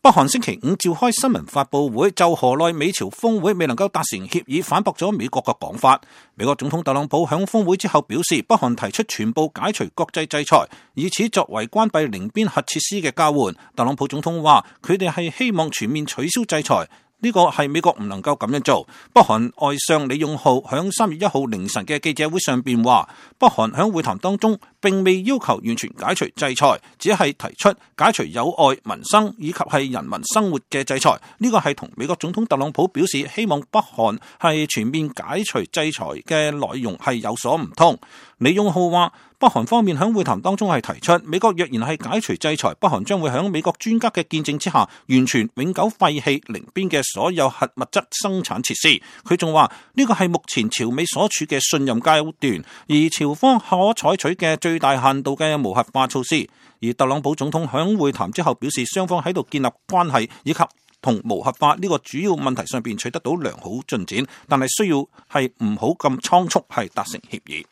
北韓星期五召開新聞發佈會，就河內美朝峰會未能夠達成協議，反駁咗美國嘅講法。美國總統特朗普響峰會之後表示，北韓提出全部解除國際制裁，以此作為關閉寧邊核設施嘅交換。特朗普總統話，佢哋係希望全面取消制裁。呢個係美國唔能夠咁樣做。北韓外相李勇浩響3月1號凌晨嘅記者會上邊話，北韓響會談當中並未要求完全解除制裁，只係提出解除有礙民生以及係人民生活嘅制裁。呢個係同美國總統特朗普表示希望北韓係全面解除制裁嘅內容係有所唔同。李勇浩話，北韓方面響會談當中係提出，美國若然係解除制裁，北韓將會響美國專家嘅見證之下，完全永久廢棄寧邊嘅所有核物質生產設施。佢仲話，呢個係目前朝美所處嘅信任階段，而朝方可採取嘅最大限度嘅無核化措施。而特朗普總統響會談之後表示，雙方喺度建立關係以及同無核化呢個主要問題上邊取得到良好進展，但係需要係唔好咁倉促係達成協議。